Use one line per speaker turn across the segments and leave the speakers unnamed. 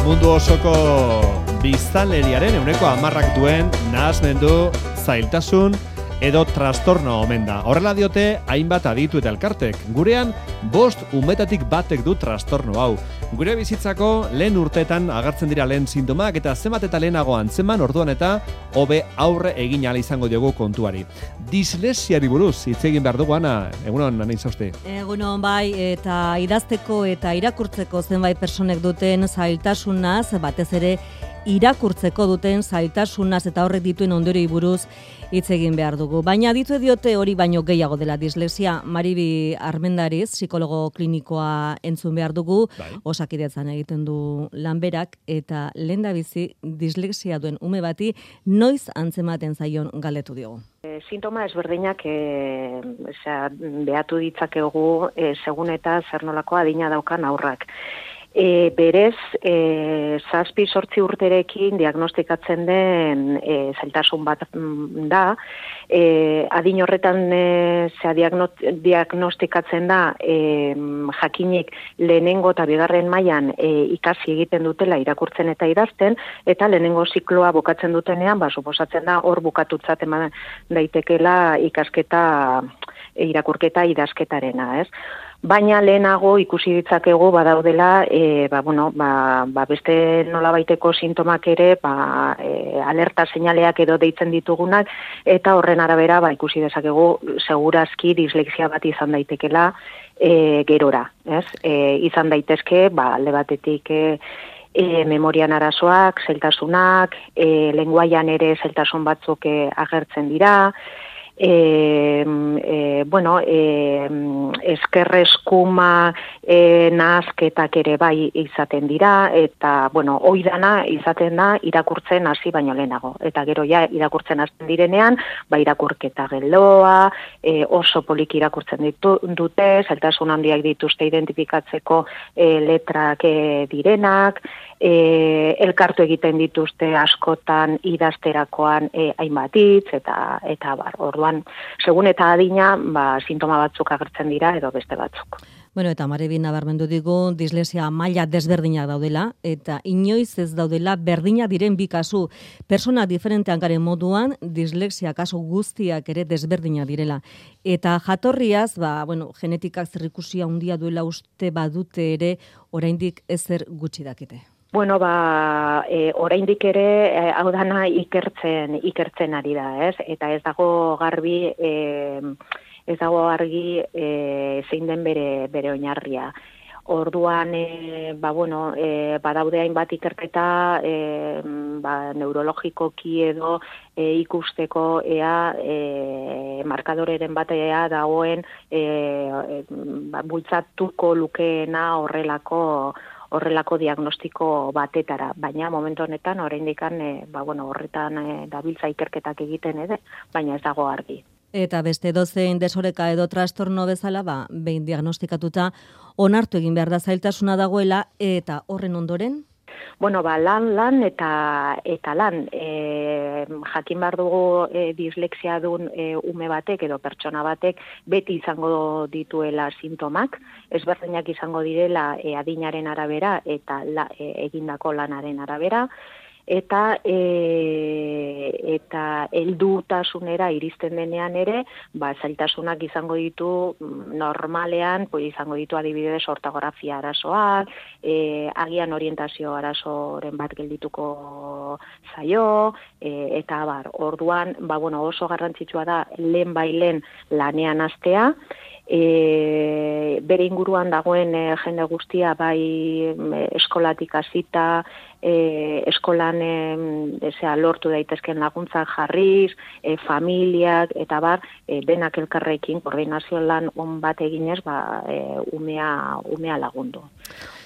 Mundu osoko biztanleriaren 10% duen nahasmendu, zailtasun edo trastorno omen da. Horrela diote hainbat aditu eta elkartek. Gurean 5 umetatik batek du trastorno hau. Gure bizitzako lehen urteetan agertzen dira lehen sintomak eta zenbat eta lehenago antzeman orduan eta hobe aurre egin ahal izango diogu kontuari. Dislesiari buruz hitz egin behar dugu, Ana. Egunon, Ana Izauste.
Egunon bai, eta idazteko eta irakurtzeko zenbait personek duten zailtasunaz, batez ere irakurtzeko duten zailtasunaz eta horrek dituen ondorioei buruz hitz egin behar dugu. Baina aditu diote hori baino gehiago dela dislexia. Maribi Armendariz, psikologo klinikoa entzun behar dugu, Osakidetzan egiten du lanberak, eta lehendabizi dislexia duen ume bati noiz antzematen zaion galdetu diogu.
Sintoma ezberdinak behatu ditzakegu segun eta zer nolako adina daukan aurrak. Berez, 7-8 urterekin diagnostikatzen den zailtasun bat da. Adin horretan diagnostikatzen da jakinik lehenengo eta bigarren mailan ikasi egiten dutela irakurtzen eta idazten, eta lehenengo zikloa bukatzen dutenean, suposatzen da hor bukatutzat eman daitekela ikasketa, irakurketa idazketarena, ez? Baina lehenago ikusi ditzakegu badaudela beste nolabaiteko sintomak ere alerta seinaleak edo deitzen ditugunak, eta horren arabera ikusi dezakegu segurazki dislexia bat izan daitekela gerora, ez? Izan daitezke alde batetik memorian arazoak, zailtasunak, lenguaian ere zailtasun batzuk agertzen dira, eskerreskuma nahasketak ere bai izaten dira, eta oidana izaten da irakurtzen hasi baino lehenago, eta gero ja irakurtzen hasten direnean irakurketa geloa, oso poliki irakurtzen dute, zailtasun handiak dituzte identifikatzeko letrak direnak, elkartu egiten dituzte askotan idazterakoan hainbat hitz, eta orduan, segun eta adina, sintoma batzuk agertzen dira edo beste batzuk.
Eta Maribi nabarmendu digu dislexia maila desberdinak daudela, eta inoiz ez daudela berdinak diren bi kasu. Persona diferentean garen moduan, dislexia kasu guztiak ere desberdinak direla. Eta jatorriaz, genetikak zerikusia handia duela uste badute ere, oraindik ezer gutxi dakite.
Oraindik ere hau dana ikertzen ari da, ez? Eta ez dago argi zein den bere oinarria. Orduan, badaude hainbat ikerketa neurologikoki edo ikusteko markadoreren batea dagoen bultzatuko lukeena horrelako diagnostiko batetara, baina momentu honetan oraindik horretan dabiltza ikerketak egiten ere, baina ez dago argi.
Eta beste dozein desoreka edo trastorno bezala, behin diagnostikatuta onartu egin behar da zailtasuna dagoela, eta horren ondoren?
Lan eta lan. Jakin behar dugu dislexia duen ume batek edo pertsona batek beti izango dituela sintomak, ezberdinak izango direla adinaren arabera eta egindako lanaren arabera, eta heldutasunera iristen denean ere, zailtasunak izango ditu normalean, izango ditu adibidez ortografia arazoak, agian orientazio arazoren bat geldituko zaio, eta orduan, oso garrantzitsua da lehen lanean hastea, bere inguruan dagoen jende guztia eskolatik hasita, eskolan lortu daitezken laguntzak jarriz, familiak, eta denak elkarrekin koordinazio lan on bat eginez, umea lagundu.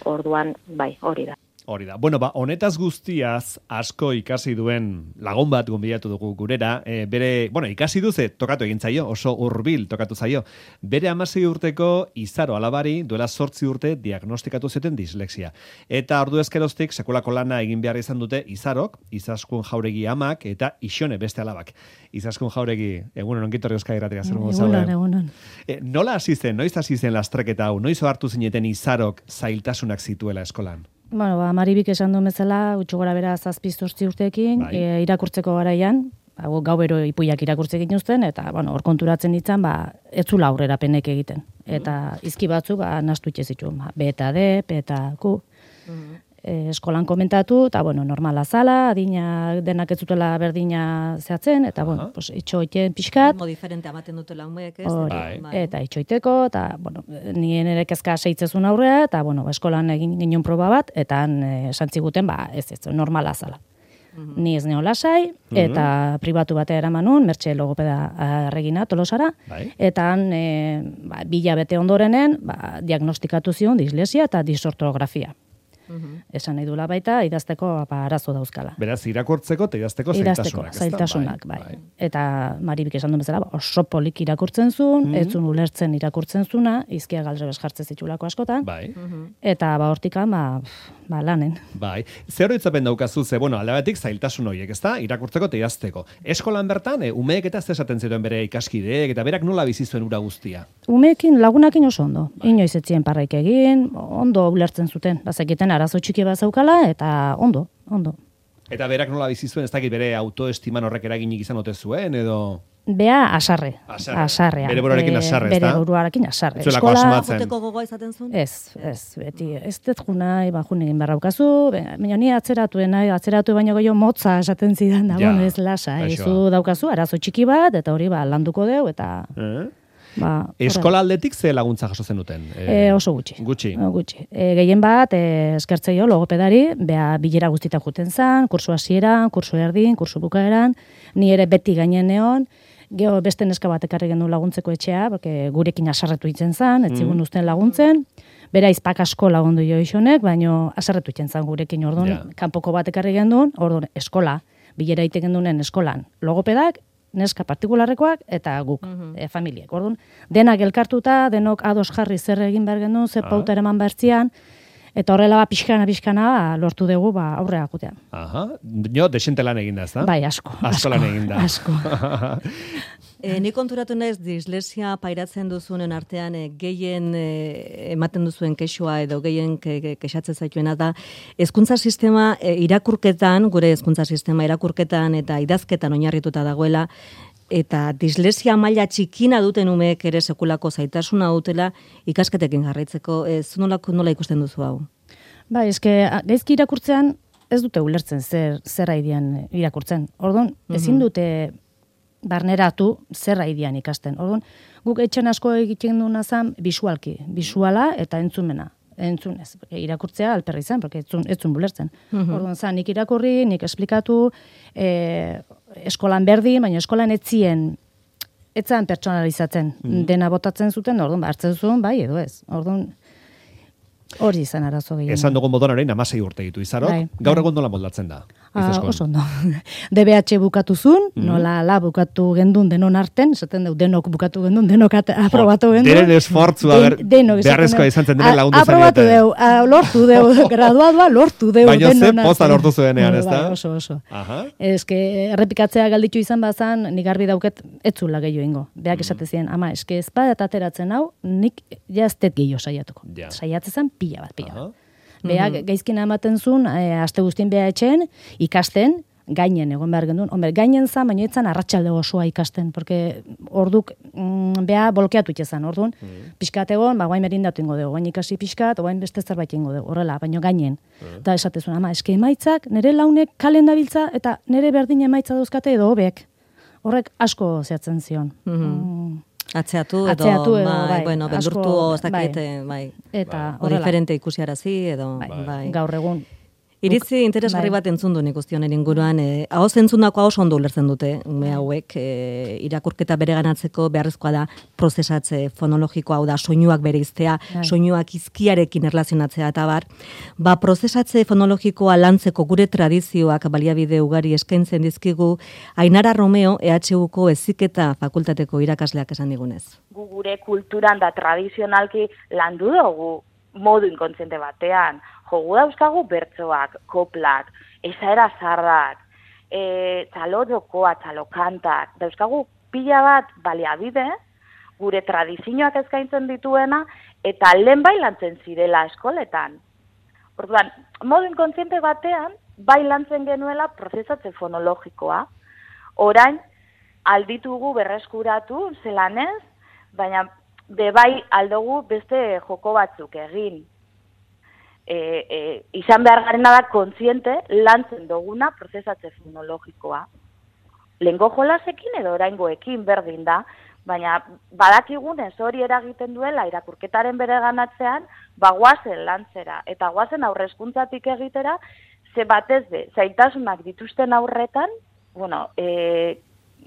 Orduan, hori da.
Hori da. Honetaz guztiaz asko ikasi duen lagun bat gonbidatu dugu gurera, ikasi duze, tokatu egin zaio, oso hurbil tokatu zaio. Bere 16 urteko Izaro alabari duela 8 urte diagnostikatu zuten dislexia. Eta ordu ezkeroztik sekulako lana egin behar izan dute Izarok, Izaskun Jauregi amak eta Ixone beste alabak. Izaskun Jauregi, egunon ongitorri Euskadi Irratia zer modu zaude?
Egunon.
Noiz hasi zen lastreketa hau? Noiz hartu zineten Izarok zailtasunak zituela eskolan?
Bueno, Maribik esan duen bezala, gutxo gora bera 7-8 urteekin, irakurtzeko garaian, gau bero ipuiak irakurtze egin uzten, eta, hor konturatzen ditzan, ez zula aurrerapenek egiten. Eta izki batzuk, nastu itxe zituen, B eta D, P eta Q. Eskolan komentatu, eta, normala zala, adina denak ez zutela berdina zehatzen, eta, itxoiten pixkat.
Mo diferente amaten dutela umeek, ez?
Eta itxoiteko, eta, nien ere kezka seitzezun aurrea, eta, eskolan egin ginen proba bat, eta santziguten, ez, normala zala. Ni ez neo lasai, eta pribatu batea eramanun, Mertxe logopeda Regina Tolosara, eta han, 2 hilabete ondorenen, diagnostikatu zion dislesia eta disortografia. Esan nahi dula baita, idazteko arazo dauzkala.
Beraz, irakurtzeko eta idazteko
zailtasunak. Bai. Eta Maribik esan duen bezala, oso polik irakurtzen zuen, ez zuen ulertzen irakurtzen zuna, izkia galdrebes jartzen zitulako askotan, eta hortikan, lanen.
Bai. Zer horitzapen daukazu, aldabetik zailtasun horiek, ezta? Irakurtzeko eta idazteko. Eskolan bertan, umeek eta esaten zituen bere ikaskideek, eta berak nola bizi zuen ura guztia?
Umeekin, lagunakin oso ondo. Inoiz etzien parraik egin, ondo ulertzen zuten. Bazekiten arazo txiki bat zaukala, eta ondo.
Eta berak nola bizi zuen, ez dakit bere autoestiman horrek eraginik izan ote zuen, edo...
Bea asarre.
Bere buruarekin asarre, ez da?
Bere buruarekin asarre.
Eskola
joteko gogoa izaten zuen?
Ez, beti, ez dut juna, jun egin barraukazu, baina ni atzeratu baino gehiago motza esaten zidan, da, ez lasa, zu daukazu, arazo txiki bat, eta hori landuko deu, eta...
Eskola aldetik ze laguntza jaso zenuten?
Oso gutxi. Gehien bat, eskertzeio logopedari, bilera guztietan juten zan, kursu hasieran, kursu erdin, kursu bukaeran, ni ere beti gainen neon, geho beste neska bat ekarri gendu laguntzeko etxea, gurekin asarretu itzen zan, etzigun uzten laguntzen, bera izpak asko lagundu jo isonek, baino asarretu itzen zan gurekin, orduan, kanpoko bat ekarri gendun, orduan, eskola, bilera ite gendunen eskolan, logopedak, neska partikularrekoak eta guk, familiek. Orduan, denak elkartuta, denok ados jarri zer egin behar gendun, zer pauta eraman behartzian, eta horrela pixkana lortu dugu aurrera jutea.
Desente lan eginda, ez da?
Bai, asko.
Asko lan eginda.
Asko.
Ni konturatu naiz dislesia pairatzen duzunen artean gehien ematen duzuen kexua edo gehien kexatzen zaituena da hezkuntza sistema irakurketan, gure hezkuntza sistema irakurketan eta idazketan oinarrituta dagoela, eta dislesia maila txikina duten umeek ere sekulako zaitasuna dutela ikasketekin jarraitzeko. Nola ikusten duzu hau?
Bai, gaizki irakurtzean ez dute ulertzen zer haidian irakurtzen. Orduan, ezin dute barneratu zer haidian ikasten. Orduan, guk etxen asko egiten duna zan bisuala eta entzumena. Entzunez, irakurtzea alperri zen, porque etzun bulertzen. Orduan, nik irakurri, nik esplikatu, eskolan berdin, baina eskolan etzan pertsonalizatzen. Dena botatzen zuten, orduan, hartzen zuen, bai, edo ez. Orduan, hori izan arazo gehiago.
Esan dugun moduan orain 16 urte ditu izarok, gaur egon nola moldatzen da?
Oso ondo. DBH bukatu zuen, nola bukatu gendun denon arten, esaten dugu denok bukatu gendun, denok aprobatu gendun.
Deren esfortzua, beharrezkoa izan zen denen lagundu zen.
Aprobatu deu, lortu deu, graduadua lortu deu.
Baina ze poza lortu zuenean, ez da?
Oso. Errepikatzea galditu izan bazan, nik garbi dauket etzula gehiago ingo. Beak esate ziren, ama, ez badat ateratzen hau, nik jaztet gehiago saiatuko. Saiatzen pila bat. Beak gaizkina ematen zuen, aste guztien beha etxen, ikasten, gainen egon behar gendun. Gainen zan, baina etzan arratsalde osoa ikasten, porque orduk beha bolkeatu itxezan, orduan, pixkat egon, guain merindatu ingo dugu, guain ikasi pixkat, guain beste zerbait ingo dugu, horrela, baina gainen. Eta esatezun, ama, emaitzak, nire launek kalen dabiltza, eta nire berdin emaitza dauzkate edo hobek. Horrek asko zehatzen zion.
Atzeatu edo bai, beldurtu ez dakit, bai. Eta diferente ikusiarazi edo bai.
Gaur egun
iritzi interesgarri bat entzun du nik guztionen inguruan, ahoz entzundakoa oso ondo ulertzen dute ume hauek, irakurketa bereganatzeko beharrezkoa da prozesatze fonologikoa, hau da soinuak bereiztea, soinuak izkiarekin erlazionatzea eta bar. Prozesatze fonologikoa lantzeko gure tradizioak baliabide ugari eskaintzen dizkigu Ainara Romeo EHUko Heziketa Fakultateko irakasleak esan digunez.
Gure kulturan da tradizionalki landu dugu modu inkontziente batean. Jogu dauzkagu bertsoak, koplak, esaera zarrak, txalo jokoa, txalo kantak, dauzkagu pila bat baliabide, gure tradizioak eskaintzen dituena, eta lehen bai lantzen zirela eskoletan. Orduan, modu inkontziente batean, bai lantzen genuela prozesatze fonologikoa. Orain, alditugu berreskuratu zelanez, baina bebai aldugu beste joko batzuk egin. Izan behar garena da kontziente lantzen duguna prozesatze fonologikoa. Lehengo jolasekin edo oraingoekin berdin da, baina badakigunez hori eragiten duela irakurketaren bere ganatzean, guazen lantzera eta guazen aurrezkuntzatik egitera, ze batez be, zailtasunak dituzten aurretan,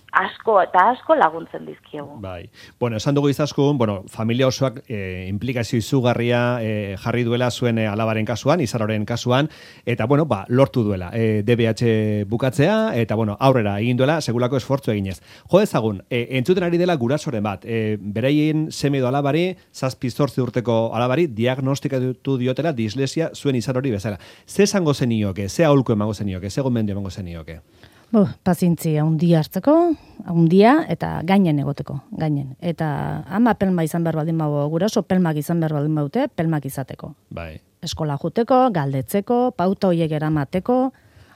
asko laguntzen dizkiegu.
Bai. Bueno, esan dugu izaskun, familia osoak implikazio izugarria jarri duela zuen alabaren kasuan, Izaroren kasuan, eta lortu duela DBH bukatzea, eta aurrera egin duela segulako esfortzu eginez. Jo dezagun, entzuten ari dela gurasoren bat, bereien seme edo alabari, 7-8 urteko alabari, diagnostikatu diotela dislesia zuen Izarori bezala. Ze esango zenioke, ze aholku emango zenioke, ze gomendio emango zenioke?
Pazientzia handia hartzeko, handia eta gainen egoteko, gainen. Eta ama pelma izan behar baldin bago, guraso pelmak izan behar baldin baute, pelmak izateko.
Bai.
Eskola juteko, galdetzeko, pauta hoiek eramateko,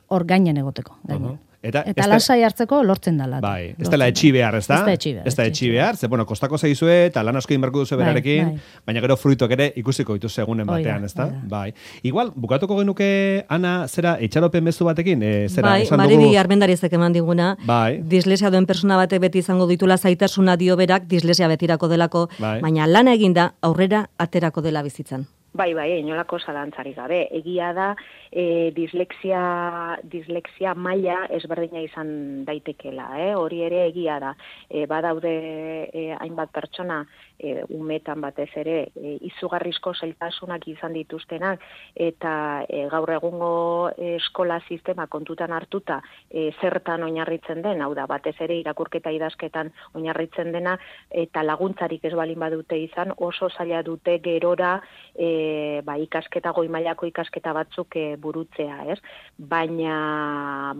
hor gainen egoteko, gainen. Eta lasai hartzeko lortzen dala.
Bai, ez dela etxi behar, ez da? Ez da etxi behar, ze, kostako zaizue, eta lan asko inberku duzu berarekin, baina gero fruituak ere ikusiko dituzu egunen batean, ez da? Bai. Igual, bukatuko genuke, Ana, zera, etxaropen bezu batekin?
Bai, Maribi Armendarizek eman diguna, dislesia duen persona batek beti izango ditula zaitasuna dio berak, dislesia betirako delako, baina lana eginda aurrera aterako dela bizitzan.
Bai, inolako zalantzarik gabe. Egia da, dislexia maila ezberdina izan daitekela. Hori ere egia da. Badaude hainbat pertsona, umetan batez ere, izugarrizko zailtasunak izan dituztenak, eta gaur egungo eskola sistema kontutan hartuta zertan oinarritzen den, hau da, batez ere irakurketa idazketan oinarritzen dena, eta laguntzarik ez balin badute izan, oso zaila dute gerora ikasketa goi mailako ikasketa batzuk burutzea, ez? Baina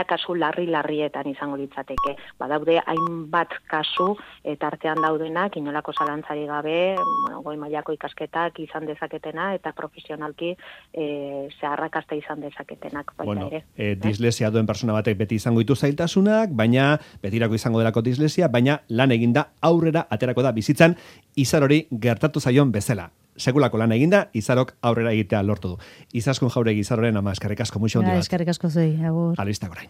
kasu larrietan izango litzateke. Badaude hainbat kasu eta artean daudenak inolako zalantzari gabe, goi mailako ikasketak izan dezaketena eta profesionalki zeharrakasta izan dezaketenak baita ere.
Dislesia duen persona batek beti izango ditu zailtasunak, baina betirako izango delako dislesia, baina lan eginda aurrera aterako da bizitzan Izarori gertatu zaion bezala. Segulako lan eginda, Izarok aurrera egitea lortu du. Izaskun Jauregi Izaroren ama, eskerrik asko, muixo hondi bat.
Eskerrik asko zei, agur.
Alista gorain.